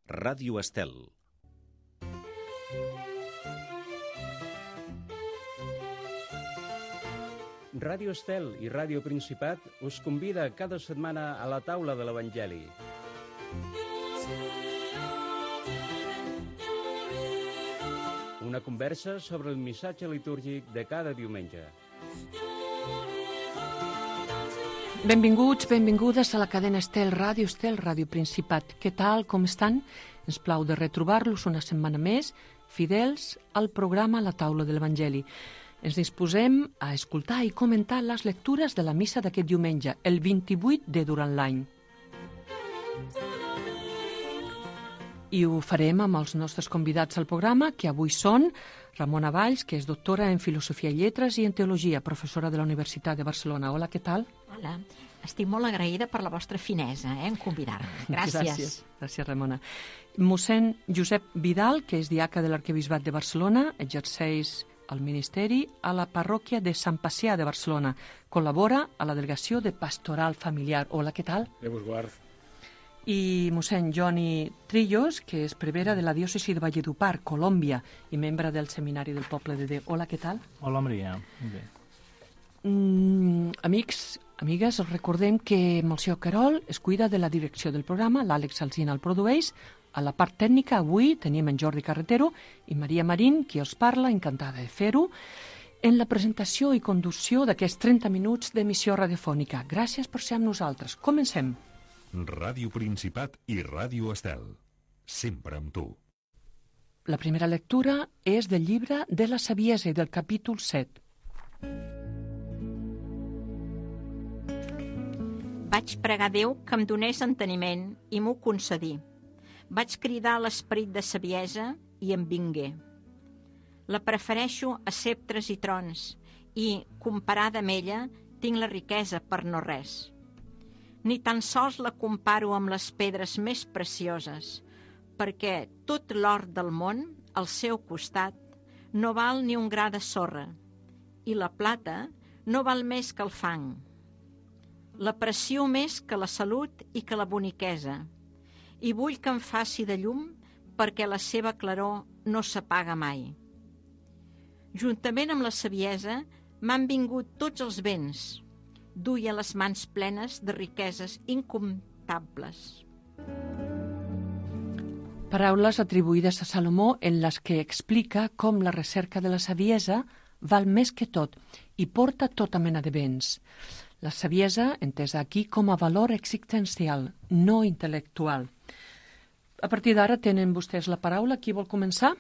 Ràdio Estel. Ràdio Estel i Ràdio Principat us convida cada setmana a la taula de l'Evangeli. Una conversa sobre el missatge litúrgic de cada diumenge. Benvinguts, benvingudes a la cadena Estel, Ràdio Principat. Què tal, com estan? Ens plau de retrobar-los una setmana més, fidels al programa La Taula de l'Evangeli. Ens disposem a escoltar i comentar les lectures de la missa d'aquest diumenge, el 28 de durant l'any. I ho farem amb els nostres convidats al programa, que avui són Ramona Valls, que és doctora en Filosofia i Lletres i en Teologia, professora de la Universitat de Barcelona. Hola, què tal? Hola, estic molt agraïda per la vostra finesa en convidar-me. Gràcies. Gràcies, Ramona. Mossèn Josep Vidal, que és diaca de l'Arquebisbat de Barcelona, exerceix el ministeri a la parròquia de Sant Pacià de Barcelona. Col·labora a la delegació de Pastoral Familiar. Hola, què tal? Déu vos guard. I mossèn Joni Trillos, que és prevera de la diòcesi de Valledupar, Colòmbia, i membre del Seminari del Poble de Déu. Hola, què tal? Hola, Maria. Molt bé. Amics, amigues, us recordem que Monsieur Querol es cuida de la direcció del programa, l'Àlex Alsina el produeix. A la part tècnica avui tenim en Jordi Carretero i Maria Marín, qui els parla, encantada de fer-ho, en la presentació i conducció d'aquests 30 minuts d'emissió radiofònica. Gràcies per ser amb nosaltres. Comencem. Ràdio Principat i Ràdio Estel. Sempre amb tu. La primera lectura és del llibre de la Saviesa i del capítol 7. Vaig pregar a Déu que em donés enteniment i m'ho concedí. Vaig cridar a l'esperit de saviesa i em vingué. La prefereixo a ceptres i trons i, comparada amb ella, tinc la riquesa per no res. Ni tan sols la comparo amb les pedres més precioses, perquè tot l'or del món, al seu costat, no val ni un gra de sorra, i la plata no val més que el fang. L'aprecio més que la salut i que la boniquesa, i vull que em faci de llum perquè la seva claror no s'apaga mai. Juntament amb la saviesa m'han vingut tots els béns, duia les mans plenes de riqueses incomptables. Paraules atribuïdes a Salomó en les que explica com la recerca de la saviesa val més que tot i porta tota mena de béns. La saviesa, entesa aquí com a valor existencial, no intel·lectual. A partir d'ara tenen vostès la paraula. Qui vol començar?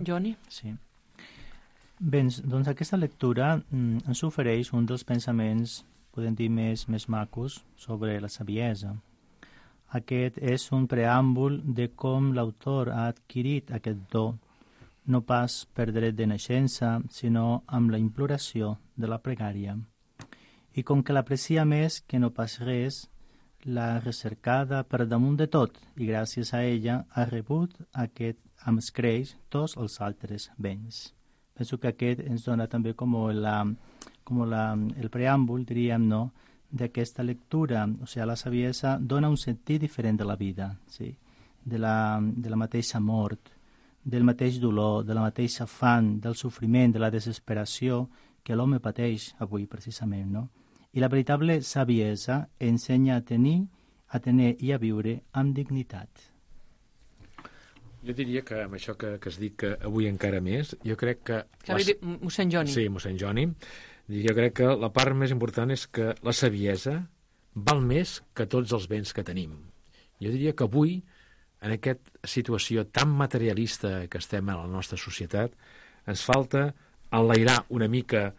Joni? Sí. Bé, doncs aquesta lectura ens ofereix un dels pensaments, podem dir, més macos sobre la saviesa. Aquest és un preàmbul de com l'autor ha adquirit aquest do, no pas per dret de naixença, sinó amb la imploració de la pregària. I com que l'aprecia més que no pas res, l'ha recercada per damunt de tot i gràcies a ella ha rebut aquest amb escreix tots els altres béns. Penso que aquest ens dona també com el preàmbul, diríem, no?, d'aquesta lectura. O sigui, la saviesa dona un sentit diferent de la vida, sí? de la mateixa mort, del mateix dolor, de la mateixa afany, del sofriment, de la desesperació que l'home pateix avui, precisament, no? I la veritable saviesa ensenya a tenir i a viure amb dignitat. Jo diria que amb això que has dit que avui encara més, jo crec que... Mossèn Joni. Sí, mossèn Joni. Jo crec que la part més important és que la saviesa val més que tots els béns que tenim. Jo diria que avui, en aquesta situació tan materialista que estem en la nostra societat, ens falta enlairar una mica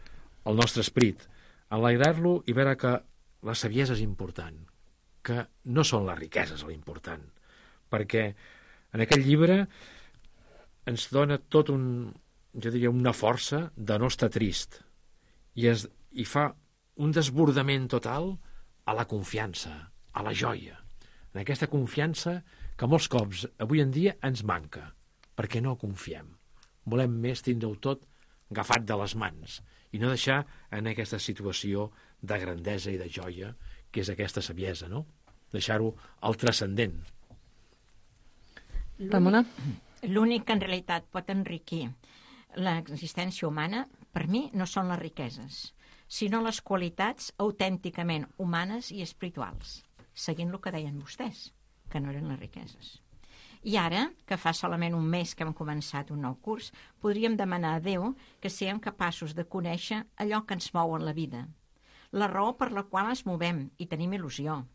el nostre esperit, enlairar-lo i veure que la saviesa és important, que no són les riqueses l'important, perquè en aquest llibre ens dona tot jo diria, una força de no estar trist i fa un desbordament total a la confiança, a la joia, en aquesta confiança que molts cops avui en dia ens manca, perquè no confiem. Volem més tindre-ho tot agafat de les mans i no deixar en aquesta situació de grandesa i de joia que és aquesta saviesa, no? Deixar-ho al transcendent. Ramona? L'únic que en realitat pot enriquir l'existència humana, per mi, no són les riqueses, sinó les qualitats autènticament humanes i espirituals, seguint el que deien vostès, que no eren les riqueses. I ara, que fa solament un mes que hem començat un nou curs, podríem demanar a Déu que siguem capaços de conèixer allò que ens mou en la vida, la raó per la qual ens movem i tenim il·lusió.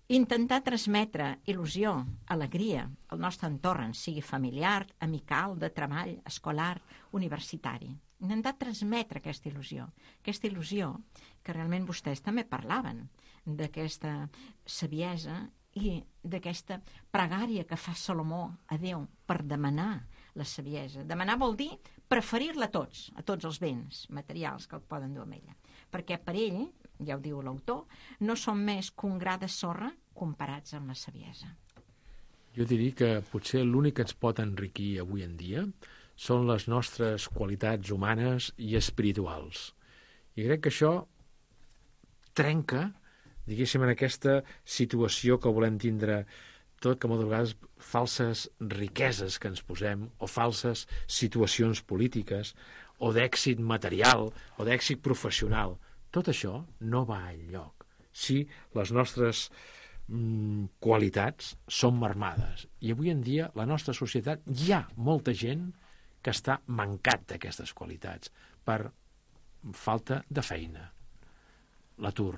Intentar transmetre il·lusió, alegria al nostre entorn, sigui familiar, amical, de treball, escolar, universitari. Intentar transmetre aquesta il·lusió que realment vostès també parlaven, d'aquesta saviesa i d'aquesta pregària que fa Salomó a Déu per demanar la saviesa. Demanar vol dir preferir-la a tots els béns materials que el poden dur amb ella. Perquè per ell, ja ho diu l'autor, no són més que un gra de sorra comparats amb la saviesa. Jo diria que potser l'únic que ens pot enriquir avui en dia són les nostres qualitats humanes i espirituals. I crec que això trenca, diguéssim, en aquesta situació que volem tindre tot, que moltes vegades falses riqueses que ens posem, o falses situacions polítiques, o d'èxit material, o d'èxit professional. Tot això no va enlloc si les nostres qualitats són marmades. I avui en dia, la nostra societat, hi ha molta gent que està mancat d'aquestes qualitats per falta de feina, l'atur,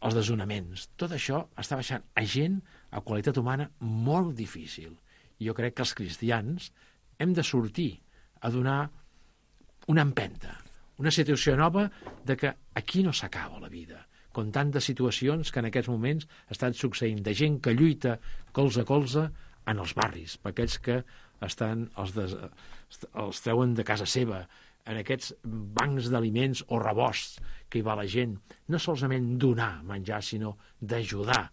els desnonaments. Tot això està baixant a gent a qualitat humana molt difícil. I jo crec que els cristians hem de sortir a donar una empenta, una situació nova de que aquí no s'acaba la vida, com tantes situacions que en aquests moments estan succeint, de gent que lluita colze a colze en els barris, per aquells que estan, els treuen de casa seva, en aquests bancs d'aliments o rebosts que hi va la gent, no solament donar menjar, sinó d'ajudar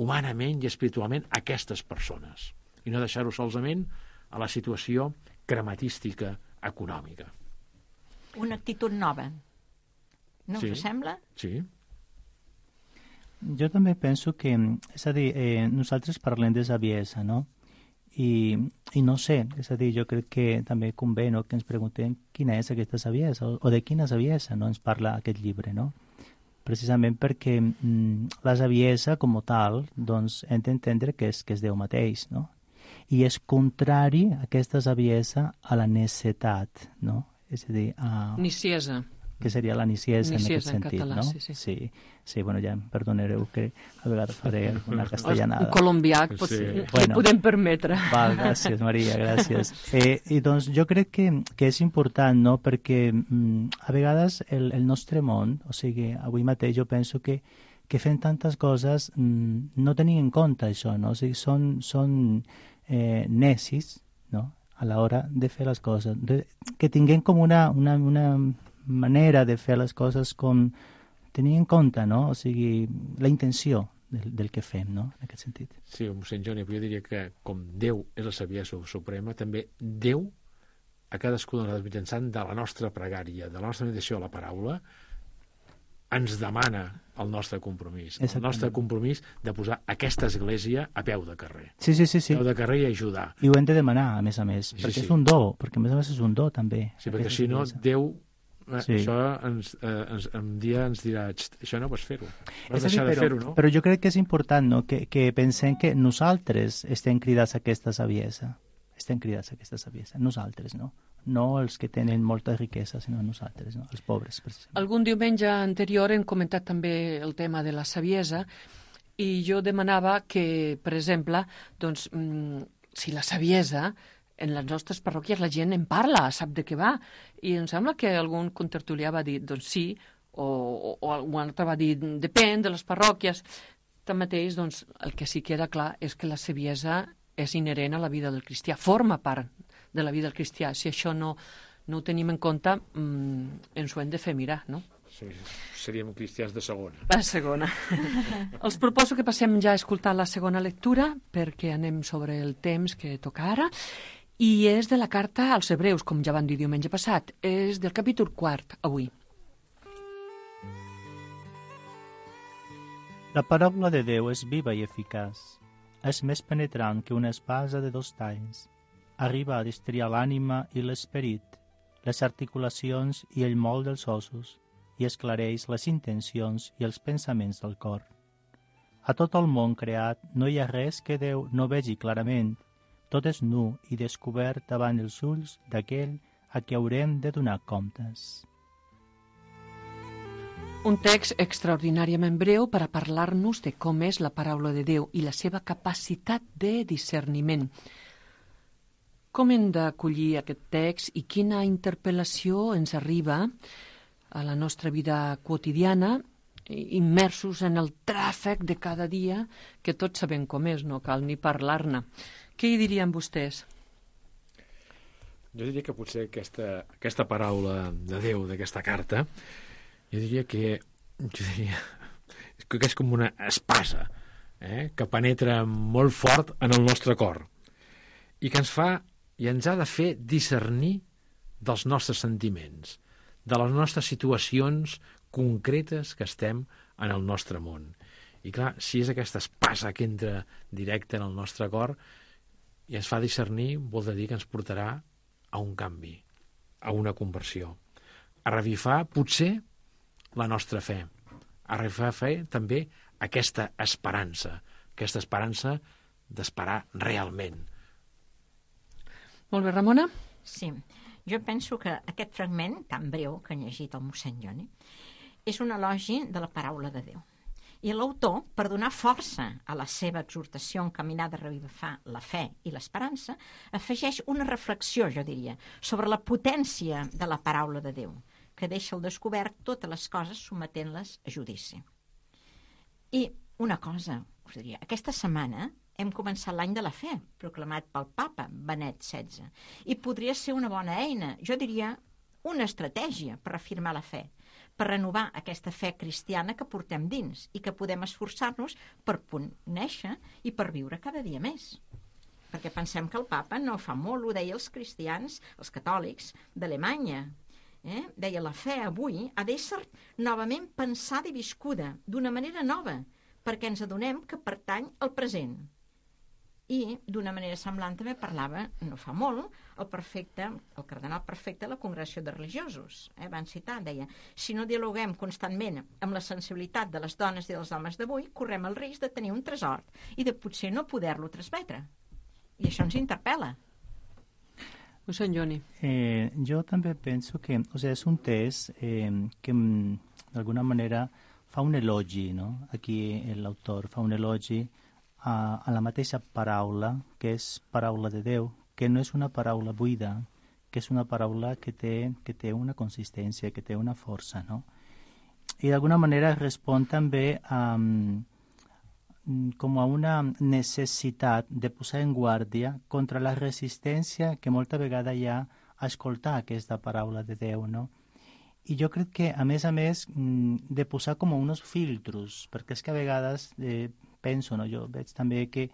humanament i espiritualment aquestes persones, i no deixar-ho solament a la situació crematística econòmica. Una actitud nova. No Sí. us sembla? Sí. Jo també penso que, és a dir, nosaltres parlem de saviesa, no? I no sé, és a dir, jo crec que també convé, no?, que ens preguntem quina és aquesta saviesa, o de quina saviesa, no?, ens parla aquest llibre, no? Precisament perquè la saviesa, com a tal, doncs hem d'entendre que és Déu mateix, no? I és contrari aquesta saviesa a la necessitat, no? És a dir, Niciesa. que seria la niciesa en aquest En sentit, català, no? sí. Bueno, ja em perdonareu que a vegades faré alguna castellanada. Un colombià Sí. potser Bueno. ho podem permetre. Val, gràcies, Maria, gràcies. I doncs jo crec que és important, no?, perquè a vegades el nostre món, o sigui, avui mateix jo penso que fem tantes coses no tenint en compte això, no? O sigui, són necis, no?, a l'hora de fer les coses. Que tinguem com una manera de fer les coses com tenint en compte, no?, o sigui, la intenció del que fem, no?, en aquest sentit. Sí, mossèn Joni, però jo diria que com Déu és la saviesa suprema, també Déu, a cadascú de nosaltres mitjançant de la nostra pregària, de la nostra meditació a la paraula, ens demana el nostre compromís. El nostre compromís de posar aquesta església a peu de carrer. Sí. A peu de carrer i ajudar. I ho hem de demanar, a més, perquè sí. és un do, perquè a més és un do, també. Sí, perquè si no, Déu... Sí. Això un dia ens dirà, això no pots fer-ho, has És a dir, deixar de fer-ho, no? Però jo crec que és important, no?, que pensem que nosaltres estem cridats a aquesta saviesa. Estem cridats a aquesta saviesa. Nosaltres, no? No els que tenen molta riquesa, sinó nosaltres, no? Els pobres, precisament. Algun diumenge anterior hem comentat també el tema de la saviesa i jo demanava que, per exemple, doncs, si la saviesa en les nostres parròquies la gent en parla, sap de què va, i em sembla que algun contertulià va dir, doncs sí, o algun altre va dir, depèn de les parròquies. Tanmateix, doncs, el que sí queda clar és que la saviesa és inherent a la vida del cristià, forma part de la vida del cristià. Si això no ho tenim en compte, ens ho hem de fer mirar, no? Sí, seríem cristians de segona. La segona. Els proposo que passem ja a escoltar la segona lectura, perquè anem sobre el temps que toca ara, i és de la carta als Hebreus, com ja vam dir diumenge passat. És del capítol 4, avui. La paraula de Déu és viva i eficaç. és més penetrant que una espasa de 2 talls. Arriba a destriar l'ànima i l'esperit, les articulacions i el moll dels ossos, i esclareix les intencions i els pensaments del cor. A tot el món creat no hi ha res que Déu no vegi clarament. Tot és nu i descobert davant els ulls d'aquell a qui haurem de donar comptes. Un text extraordinàriament breu per a parlar-nos de com és la paraula de Déu i la seva capacitat de discerniment. Com hem d'acollir aquest text i quina interpel·lació ens arriba a la nostra vida quotidiana, immersos en el tràfic de cada dia, que tots sabem com és, no cal ni parlar-ne. Què hi dirien vostès? Jo diria que potser aquesta paraula de Déu, d'aquesta carta, jo diria que és com una espasa que penetra molt fort en el nostre cor i que ens ha de fer discernir dels nostres sentiments, de les nostres situacions concretes que estem en el nostre món. I clar, si és aquesta espasa que entra directe en el nostre cor i ens fa discernir, vol dir que ens portarà a un canvi, a una conversió, a revifar potser la nostra fe, a revifar també aquesta esperança d'esperar realment. Molt bé, Ramona? Sí, jo penso que aquest fragment tan breu que ha llegit el mossèn Joni és un elogi de la paraula de Déu. I l'autor, per donar força a la seva exhortació encaminada a revifar la fe i l'esperança, afegeix una reflexió, jo diria, sobre la potència de la paraula de Déu, que deixa al descobert totes les coses sometent-les a judici. I una cosa, us diria, aquesta setmana hem començat l'any de la fe, proclamat pel papa Benet XVI, i podria ser una bona eina, jo diria una estratègia per afirmar la fe, per renovar aquesta fe cristiana que portem dins i que podem esforçar-nos per conèixer i per viure cada dia més. Perquè pensem que el papa no fa molt, ho deia els cristians, els catòlics d'Alemanya. Deia, la fe avui ha d'ésser novament pensada i viscuda d'una manera nova, perquè ens adonem que pertany al present. I d'una manera semblant també parlava, no fa molt, el cardenal prefecte de la Congregació de Religiosos. Van citar, deia, si no dialoguem constantment amb la sensibilitat de les dones i dels homes d'avui, correm el risc de tenir un tresor i de potser no poder-lo transmetre. I això ens interpel·la. Mossèn Joni. Jo també penso que és un text que d'alguna manera fa un elogi, no? Aquí l'autor fa un elogi a la mateixa paraula, que és paraula de Déu, que no és una paraula buida, que és una paraula que té una consistència, que té una força, no? I d'alguna manera respon també com a una necessitat de posar en guàrdia contra la resistència que molta vegada hi ha a escoltar aquesta paraula de Déu, no? I jo crec que, a més, de posar com uns filtros, perquè és que a vegades penso, no? Jo veig també que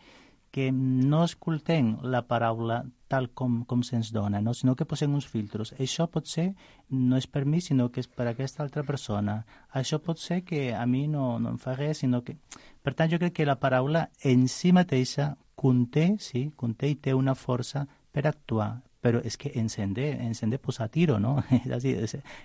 no escoltem la paraula tal com se'ns dona, no? Sinó que posem uns filtros. Això pot ser, no és per mi, sinó que és per aquesta altra persona. Això pot ser que a mi no em fa res, sinó que... Per tant, jo crec que la paraula en si mateixa conté i té una força per actuar, però és que ens hem de posar a tiro, no? És a dir,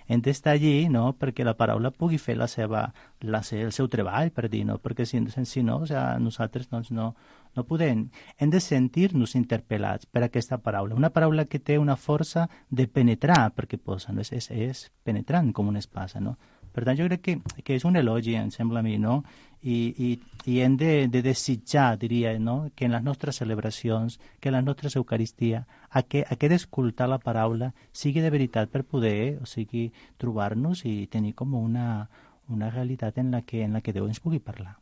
hem d'estar allí, no?, perquè la paraula pugui fer el seu treball, per dir, no? Perquè si no, nosaltres doncs, no podem. Hem de sentir-nos interpel·lats per aquesta paraula. Una paraula que té una força de penetrar, perquè posa, no? És penetrant com una espasa, no? Per tant, jo crec que és un elogi, em sembla a mi, no? I hem de desitjar, diria, no?, que en les nostres celebracions, que en les nostres eucaristies, aquest escoltar la paraula sigui de veritat per poder, o sigui, trobar-nos i tenir com una realitat en la que Déu ens pugui parlar.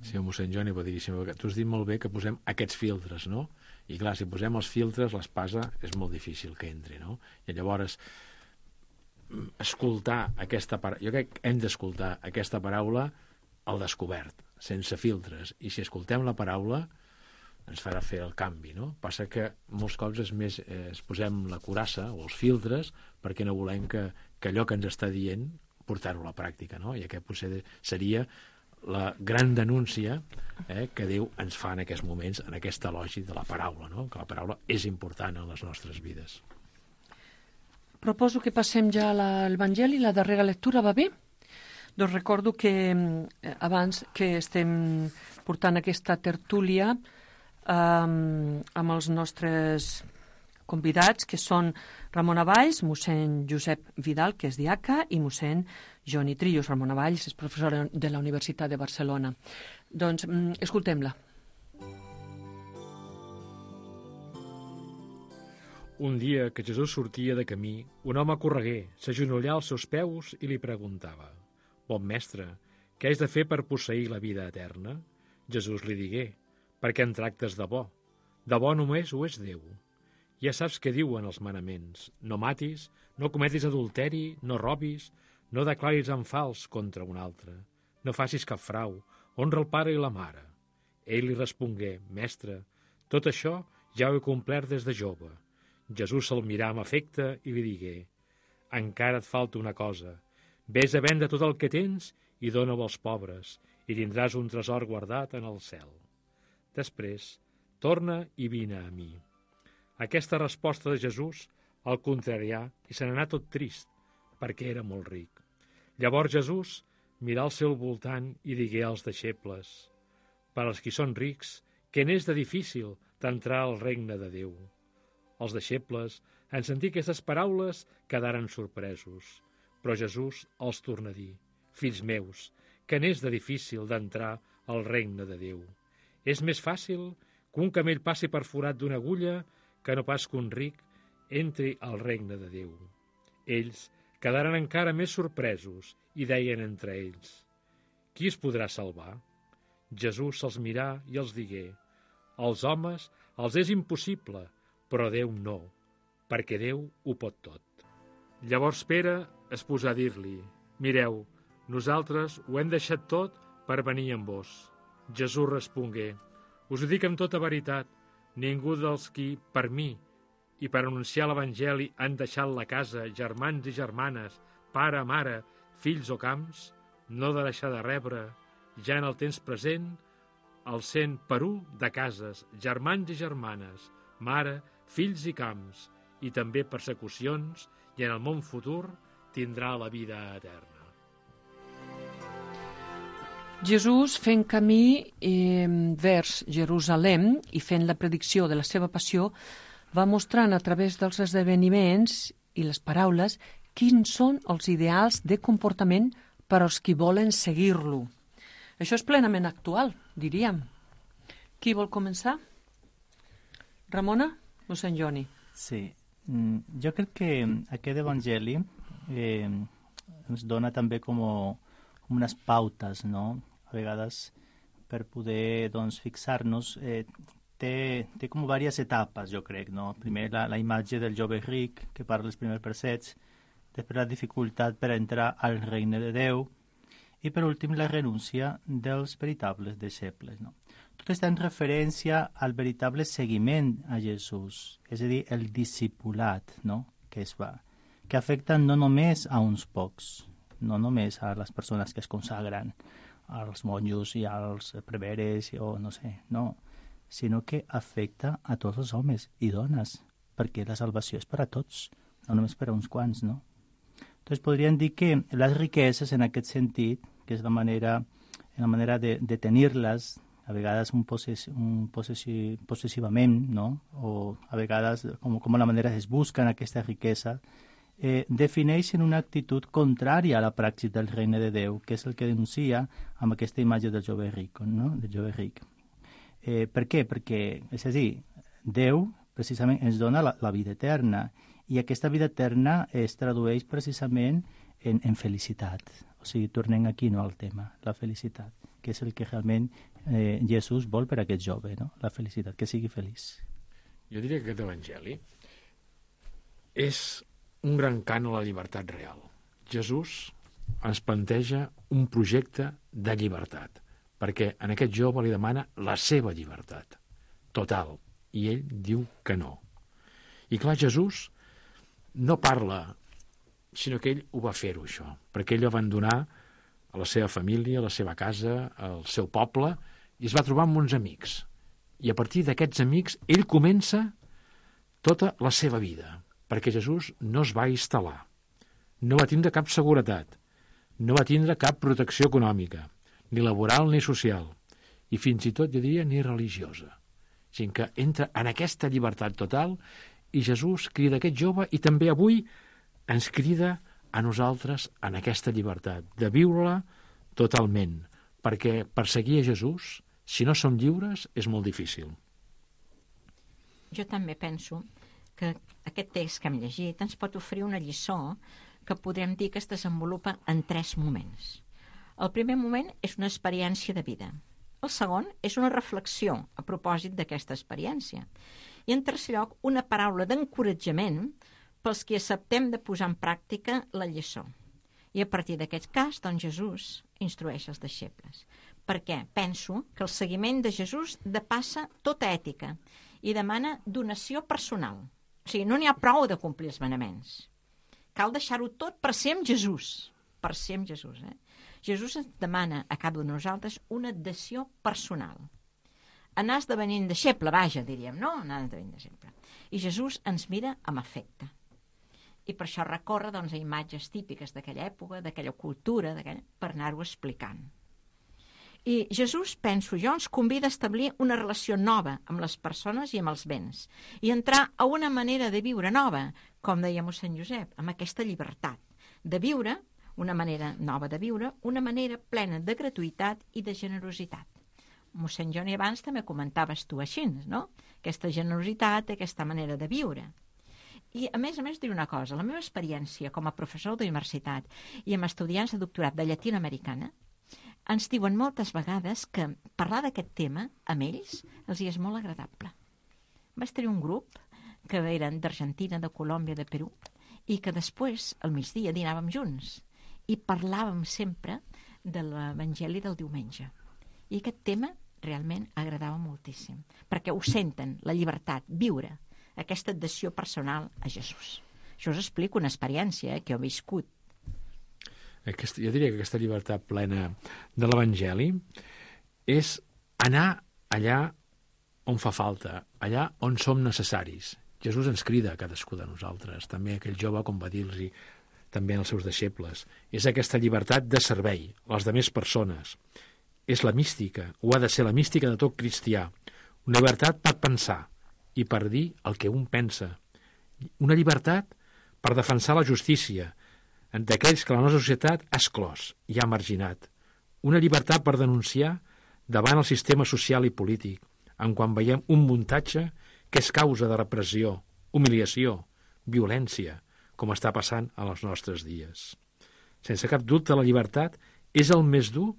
Sí, mossèn Joni, boníssim. Tu has dit molt bé que posem aquests filtres, no? I clar, si posem els filtres, l'espasa és molt difícil que entri, no? I llavors escoltar aquesta paraula, jo crec que hem d'escoltar aquesta paraula al descobert, sense filtres, i si escoltem la paraula ens farà fer el canvi, no? Passa que molts cops es posem la curassa o els filtres perquè no volem que allò que ens està dient portar-ho a la pràctica, no? I aquest potser seria la gran denúncia que Déu ens fa en aquests moments, en aquest elogi de la paraula, no? Que la paraula és important en les nostres vides. Proposo que passem ja a l'Evangeli, la darrera lectura, va bé? Doncs recordo que abans que estem portant aquesta tertúlia amb els nostres convidats, que són Ramon Valls, mossèn Josep Vidal, que és diaca, i mossèn Joni Trillos. Ramon Valls és professor de la Universitat de Barcelona. Doncs escoltem-la. Un dia que Jesús sortia de camí, un home corregué, s'agenollà als seus peus i li preguntava: «Bon mestre, què has de fer per posseir la vida eterna?» Jesús li digué: «Per què en tractes de bo? De bo només ho és Déu. Ja saps què diuen els manaments: no matis, no cometis adulteri, no robis, no declaris en fals contra un altre, no facis cap frau, honra el pare i la mare». Ell li respongué: «Mestre, tot això ja ho he complert des de jove». Jesús se'l mirà amb afecte i li digué: «Encara et falta una cosa. Ves a vendre tot el que tens i dona-ho als pobres, i tindràs un tresor guardat en el cel. Després, torna i vine a mi». Aquesta resposta de Jesús el contrarià i se n'anà tot trist, perquè era molt ric. Llavors Jesús mirà al seu voltant i digué als deixebles: «Per als qui són rics, què n'és de difícil d'entrar al regne de Déu?» Els deixebles, en sentir aquestes paraules, quedaren sorpresos. Però Jesús els torna a dir: «Fills meus, què n'és de difícil d'entrar al regne de Déu? És més fàcil que un camell passi per forat d'una agulla que no pas que un ric entri al regne de Déu». Ells quedaren encara més sorpresos i deien entre ells: «Qui es podrà salvar?» Jesús se'ls mirà i els digué: «Als homes els és impossible, però Déu no, perquè Déu ho pot tot». Llavors Pere es posà a dir-li: «Mireu, nosaltres ho hem deixat tot per venir amb vos». Jesús respongué: «Us ho dic amb tota veritat, ningú dels qui, per mi i per anunciar l'Evangeli, han deixat la casa, germans i germanes, pare, mare, fills o camps, no de deixar de rebre, ja en el temps present, el 100 per 1 de cases, germans i germanes, mare, fills i camps, i també persecucions, i en el món futur tindrà la vida eterna». Jesús, fent camí vers Jerusalem i fent la predicció de la seva passió, va mostrant a través dels esdeveniments i les paraules quins són els ideals de comportament per als qui volen seguir-lo. Això és plenament actual, diríem. Qui vol començar? Ramona? Mossèn Joni. Sí, jo crec que aquest evangeli ens dona també com unes pautes, no? A vegades, per poder fixar-nos, té com diverses etapes, jo crec, no? Primer la imatge del jove ric, que parla els primers versets, després la dificultat per entrar al regne de Déu, i per últim la renúncia dels veritables deixebles, no? Tot està en referència al veritable seguiment a Jesús, és a dir, el discipulat, no?, que es fa, que afecta no només a uns pocs, no només a les persones que es consagren, als monjos i als preveres, o no sé, no, sinó que afecta a tots els homes i dones, perquè la salvació és per a tots, no només per a uns quants, no? Doncs podríem dir que les riqueses, en aquest sentit, que és la manera de tenir-les, a vegades possessivament, no? O a vegades com la manera es busquen aquesta riquesa, defineixen una actitud contrària a la praxis del regne de Déu, que és el que denuncia amb aquesta imatge del jove ric, no? Del jove ric. Per què? Perquè, és a dir, Déu precisament ens dona la vida eterna, i aquesta vida eterna es tradueix precisament en felicitat. O sigui, tornem aquí, no, al tema, la felicitat, que és el que realment Jesús vol per a aquest jove, no? La felicitat, que sigui feliç. Jo diria que aquest evangeli és un gran cant a la llibertat real. Jesús ens planteja un projecte de llibertat, perquè en aquest jove li demana la seva llibertat total, i ell diu que no. I clar, Jesús no parla, sinó que ell ho va fer-ho, això, perquè ell va abandonar a la seva família, a la seva casa, al seu poble, i es va trobar amb uns amics. I a partir d'aquests amics ell comença tota la seva vida, perquè Jesús no es va instal·lar, no va tindre cap seguretat, no va tindre cap protecció econòmica, ni laboral ni social, i fins i tot, jo diria, ni religiosa. O sigui que entra en aquesta llibertat total i Jesús crida a aquest jove i també avui ens crida a nosaltres en aquesta llibertat, de viure-la totalment, perquè perseguir a Jesús, si no som lliures, és molt difícil. Jo també penso que aquest text que hem llegit ens pot oferir una lliçó que podrem dir que es desenvolupa en 3 moments. El primer moment és una experiència de vida. El segon és una reflexió a propòsit d'aquesta experiència. I en tercer lloc, una paraula d'encoratjament pels que acceptem de posar en pràctica la lliçó. I a partir d'aquest cas, doncs, Jesús instrueix els deixebles. Perquè penso que el seguiment de Jesús depassa tota ètica i demana donació personal. O sigui, no n'hi ha prou de complir els manaments. Cal deixar-ho tot per ser amb Jesús. Per ser amb Jesús, Jesús ens demana a cada un de nosaltres una adhesió personal. Anar esdevenint deixeble, vaja, diríem, no? Anar esdevenint deixeble. I Jesús ens mira amb afecte. I per això recorre, doncs, a imatges típiques d'aquella època, d'aquella cultura, per anar-ho explicant. I Jesús, penso jo, ens convida a establir una relació nova amb les persones i amb els béns i entrar a una manera de viure nova, com deia mossèn Josep, amb aquesta llibertat de viure, una manera nova de viure, una manera plena de gratuïtat i de generositat. Mossèn Joni, abans també comentaves tu així, no? Aquesta generositat, aquesta manera de viure. I, a més, diré una cosa. La meva experiència com a professor d'universitat i amb estudiants de doctorat de llatinoamericana ens diuen moltes vegades que parlar d'aquest tema amb ells els hi és molt agradable. Vaig tenir un grup que eren d'Argentina, de Colòmbia, de Perú, i que després, al migdia, dinàvem junts i parlàvem sempre de l'Evangeli del diumenge. I aquest tema realment agradava moltíssim, perquè ho senten, la llibertat, viure aquesta adhesió personal a Jesús. Això us explico una experiència que he viscut. Jo diria que aquesta llibertat plena de l'Evangeli és anar allà on fa falta, allà on som necessaris. Jesús ens crida a cadascú de nosaltres, també aquell jove, com va dir-los també als seus deixebles. És aquesta llibertat de servei a les demés persones. És la mística, o ha de ser la mística de tot cristià. Una llibertat per pensar i per dir el que un pensa. Una llibertat per defensar la justícia d'aquells que la nostra societat ha exclòs i ha marginat. Una llibertat per denunciar davant el sistema social i polític, en quan veiem un muntatge que és causa de repressió, humiliació, violència, com està passant a els nostres dies. Sense cap dubte, la llibertat és el més dur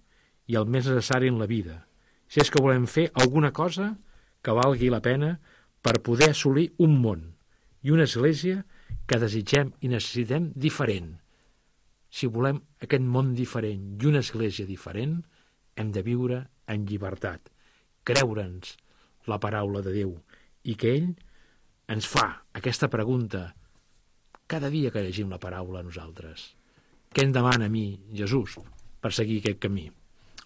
i el més necessari en la vida, si és que volem fer alguna cosa que valgui la pena per poder assolir un món i una església que desitgem i necessitem diferent. Si volem aquest món diferent i una església diferent, hem de viure en llibertat, creure'ns la paraula de Déu i que ell ens fa aquesta pregunta cada dia que llegim la paraula a nosaltres. Què em demana a mi, Jesús, per seguir aquest camí?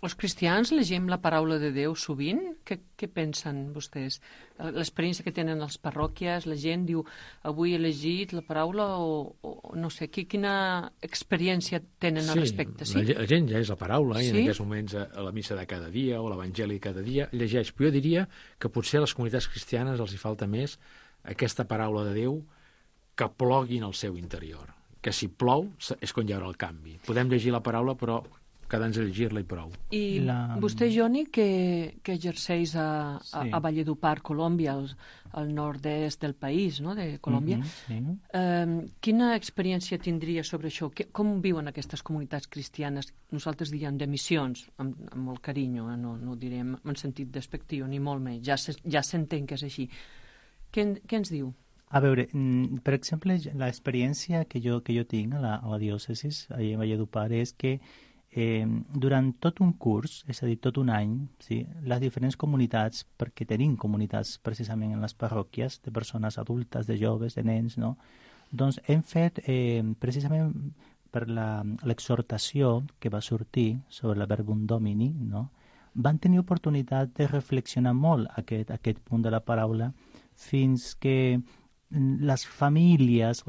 Els cristians llegim la paraula de Déu sovint? Què pensen vostès? L'experiència que tenen les parròquies, la gent diu, avui he llegit la paraula o no sé, quina experiència tenen al respecte? Sí, la gent llegeix la paraula i en aquests moments a la missa de cada dia o l'evangeli cada dia llegeix. Però jo diria que potser a les comunitats cristianes els hi falta més aquesta paraula de Déu que plogui en el seu interior. Que si plou és quan hi haurà el canvi. Podem llegir la paraula, però quedar-nos a llegir-la i prou. I vostè, Joni, que exerceix a Valledupar, Colòmbia, al nord-est del país, no?, de Colòmbia, quina experiència tindria sobre això? Com viuen aquestes comunitats cristianes? Nosaltres diem de missions, amb molt carinyo, no ho direm en sentit despectiu, ni molt menys, ja s'entén que és així. Què ens diu? A veure, per exemple, l'experiència que jo tinc a la diòcesis, a Valledupar, és que durant tot un curs, és a dir, tot un any, les diferents comunitats, perquè tenim comunitats precisament en les parròquies, de persones adultes, de joves, de nens, no? Doncs hem fet precisament per l'exhortació que va sortir sobre la Verbum Domini, no? Van tenir oportunitat de reflexionar molt aquest punt de la paraula fins que les famílies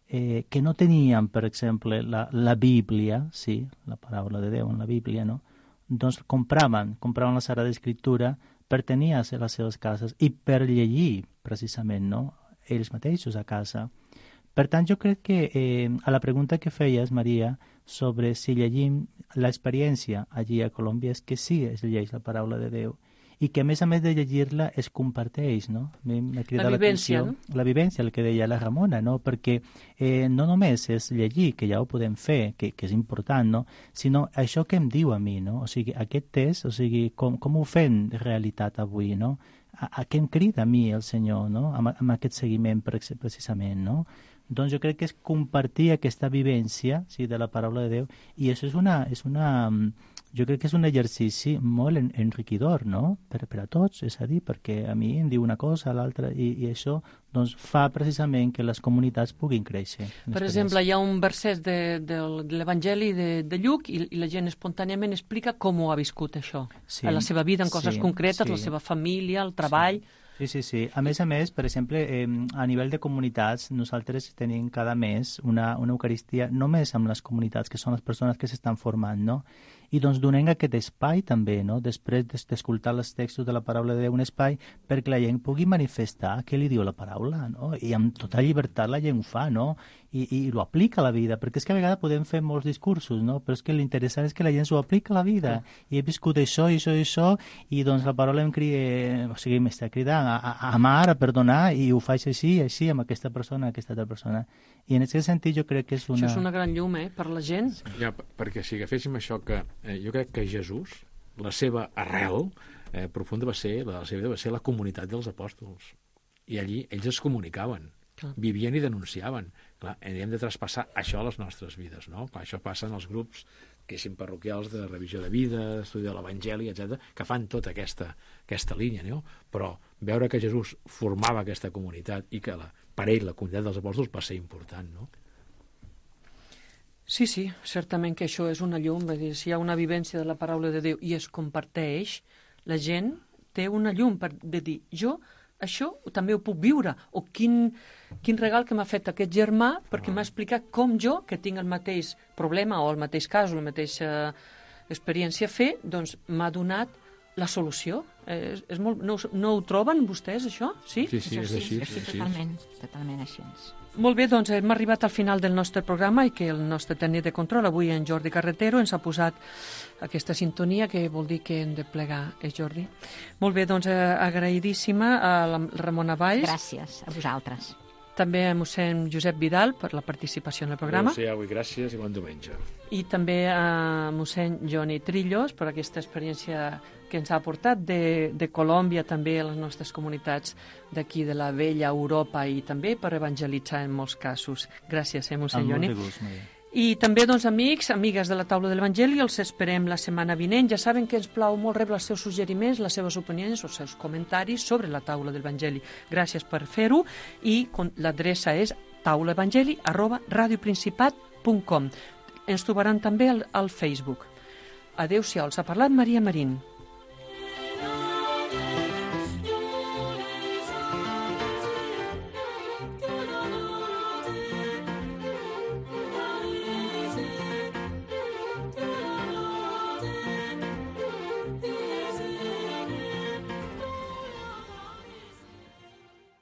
que no tenien, per exemple, la Bíblia, sí, la paraula de Déu en la Bíblia, no? Doncs compraven la Sagrada Escritura per tenir a les seves cases i per llegir, precisament, no? Ells mateixos a casa. Per tant, jo crec que a la pregunta que feies, Maria, sobre si llegim l'experiència allí a Colòmbia, és que sí, es llegeix la paraula de Déu i que a més de llegir-la es comparteix, no? M'ha cridat vivència, no? La vivència, el que deia la Ramona, no? Perquè no només és llegir, que ja ho podem fer, que és important, no? Sinó això que em diu a mi, no? O sigui, aquest test, o sigui, com ho fem realitat avui, no? A què em crida a mi el Senyor, no? Amb aquest seguiment precisament, no? Doncs jo crec que és compartir aquesta vivència, sí, de la paraula de Déu, i això jo crec que és un exercici molt enriquidor, no? Per a tots, és a dir, perquè a mi em diu una cosa, a l'altra, i això doncs, fa precisament que les comunitats puguin créixer. Per exemple, hi ha un verset de l'Evangeli de Lluc i la gent espontàniament explica com ho ha viscut això, a la seva vida, en coses concretes, la seva família, el treball... Sí. A més, per exemple, a nivell de comunitats, nosaltres tenim cada mes una Eucaristia només amb les comunitats, que són les persones que s'estan formant, no? I doncs donem aquest espai també, no? Després d'escoltar els textos de la paraula de Déu, un espai perquè la gent pugui manifestar què li diu la paraula, no? I amb tota llibertat la gent ho fa, no? I ho aplica a la vida, perquè és que a vegades podem fer molts discursos, no? Però és que l'interessant és que la gent s'ho aplica a la vida. I he viscut això, i doncs la paraula m'està cridant a amar, a perdonar, i ho faig així, amb aquesta persona, aquesta altra persona. I en aquest sentit jo crec que és una... Això és una gran llum, per la gent. Ja, perquè si agaféssim això que jo crec que Jesús, la seva arrel profunda va ser la comunitat dels apòstols. I allí ells es comunicaven, vivien i denunciaven. Clar, hem de traspassar això a les nostres vides, no? Clar, això passa en els grups parroquials de revisió de vida, estudi de l'Evangeli, etc, que fan tota aquesta línia, no? Però veure que Jesús formava aquesta comunitat i que per ell la comunitat dels apòstols va ser important, no? Sí, certament que això és una llum, si hi ha una vivència de la paraula de Déu i es comparteix, la gent té una llum de dir, jo això també ho puc viure, o quin regal que m'ha fet aquest germà perquè m'ha explicat com jo, que tinc el mateix problema o el mateix cas o la mateixa experiència a fer, doncs m'ha donat la solució. És molt... No ho troben vostès, això? Sí? Sí, és així. Sí, totalment així. Molt bé, doncs hem arribat al final del nostre programa i que el nostre tècnic de control, avui en Jordi Carretero, ens ha posat aquesta sintonia que vol dir que hem de plegar, Jordi? Molt bé, doncs agraïdíssima a la Ramona Valls. Gràcies a vosaltres. També a mossèn Josep Vidal per la participació en el programa. Avui gràcies i bon diumenge. I també a mossèn Joni Trillos per aquesta experiència que ens ha aportat de Colòmbia també a les nostres comunitats d'aquí de la vella Europa i també per evangelitzar en molts casos. Gràcies, mossèn Joni. Amb molt de gust, Maria. I també, doncs, amics, amigues de la taula de l'Evangeli, els esperem la setmana vinent. Ja saben que ens plau molt rebre els seus suggeriments, les seves opinions, els seus comentaris sobre la taula de l'Evangeli. Gràcies per fer-ho i l'adreça és taulaevangeli@radioprincipat.com. Ens trobaran també al Facebook. Adéu-siau, els ha parlat Maria Marín.